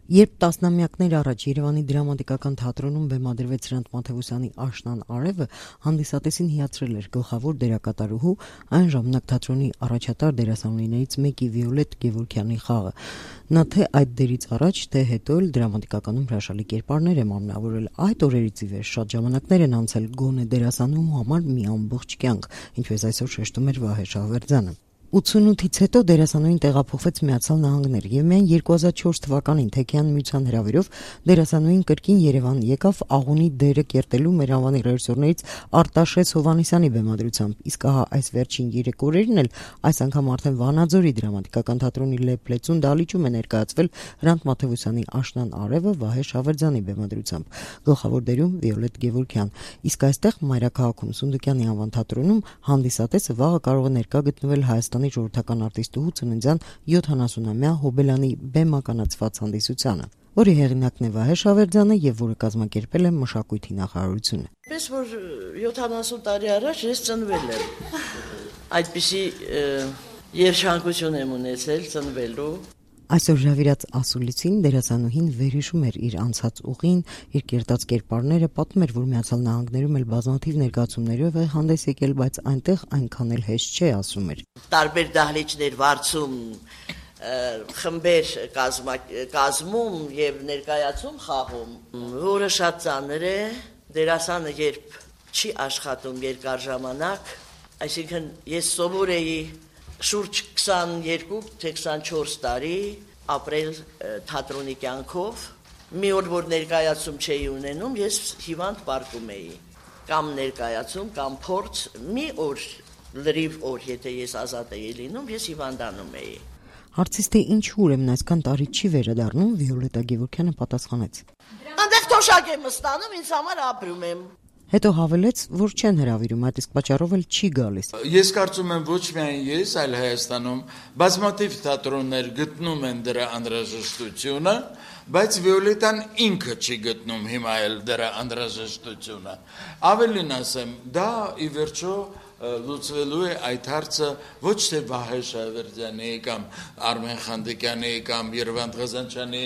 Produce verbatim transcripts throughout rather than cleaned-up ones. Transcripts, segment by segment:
Երբ տասնամյակներ առաջ Երևանի դրամատիկական թատրոնում բեմադրվեց Հրանտ Մաթևոսյանի «Աշնան արևը», հանդիսատեսին հիացրել էր գլխավոր դերակատարուհու, այն ժամանակ թատրոնի առաջատար դերասանուհիներից մեկի Վիոլետ Գևորգյանի խաղը։ Նա թե այդ դերից առաջ, թե հետո էլ դրամատիկականում հրաշալի կերպարներ է մարմնավորել։ Այդ օրերից ի վեր շատ ժամանակներ են անցել գոնե դերասանուհու համար մի ամբողջ կյանք, ինչպես այսօր շեշտում էր Վահե Շահվերդյանը։ ութսունութից հետո դերասանուհին տեղափոխվեց Միացյալ Նահանգներ եւ միայն երկու հազար չորս թվականին Թեքյան միության հրավերով դերասանուհին կրկին Երևան եկավ Աղունի դերը կերտելու մեր անվանի ռեժիսորներից Արտաշես Հովհաննիսյանի բեմադրությամբ, իսկ ահա այս վերջին երեք օրերին էլ այս անգամ արդեն Վանաձորի դրամատիկական թատրոնի Լեփլեցուն դահլիճում է ներկայացվել Հրանտ Մաթևոսյանի «Աշնան արևը» Վահե Շահվերդյանի բեմադրությամբ, գլխավոր դերում Վիոլետ Գևորգյան, իսկ այստեղ Մայրաքաղաքում Սունդուկյանի անվան թատրոնում հանդիսատեսը վաղը կարող է ներկա գտնվել Հայաստանի ժողովրդական արտիստուհու ծննդյան յոթանասունամյա Հոբելյանի բեմականացված հանդիսությանը, որի հեղինակն է Վահե Շահվերդյանը եւ որը կազմակերպել է Մշակույթի նախարարությունը։ Պես որ յոթանասուն տարի առաջ ես ծնվել եմ, այդպիսի երջանկություն եմ ունեցել ծնվելու։ Այսօր հրավիրած ասուլիսին դերասանուհին վերհիշում էր իր անցած ուղին, իր կերտած կերպարները, պատմում էր, որ Միացյալ Նահանգներում էլ բազմաթիվ ներկայացումներով է հանդես եկել, բայց այնտեղ այնքան էլ հեշտ չէ, ասում էր։ Տարբեր դահլիճներ վարձում, խմբեր կազմում եւ ներկայացում խաղում, որը շատ ծանր է։ Դերասանը երբ չի աշխատում երկար ժամանակ, այսինքն ես սովոր էի շուրջ քսաներկու թե քսանչորս տարի ապրել թատրոնի կյանքով, մի օր որ ներկայացում չէի ունենում, ես հիվանդ պարկում էի, կամ ներկայացում, կամ փորձ, մի օր լրիվ օր, եթե ես ազատ էի լինում, ես հիվանդանում էի։ Հարցից թե ինչու ուրեմն այսքան տարի չի վերադառնում, Վիոլետա Գևորգյանը պատասխանեց. Այնտեղ թոշակ եմ ստանում, ինձ համար ապրում եմ։ Հետո հավելեց, որ չեն հրավիրում, այդ իսկ պատճառով էլ չի գալիս։ Ես կարծում եմ ոչ միայն ես, այլ Հայաստանում բազմաթիվ թատրոններ գտնում են դրա անհրաժեշտությունը, բայց Վիոլետան ինքը չի գտնում հիմա էլ դրա անհրաժեշտությունը։ Ավելին ասեմ, դա ի վերջո լուծվելու է այդ հարցը ոչ թե Վահե Շահվերդյանի կամ Արմեն Խանդիկյանի կամ Երվանդ Ղազանչյանի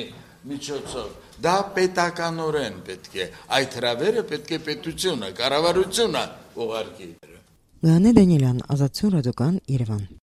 միջոցով, դա պետականորեն պետք է, այդ հրավերը պետք է պետությունը, կառավարությունը ուղարկի։ Գաներ Դանիելյան, Ազատություն ռադիոկայան, Երևան։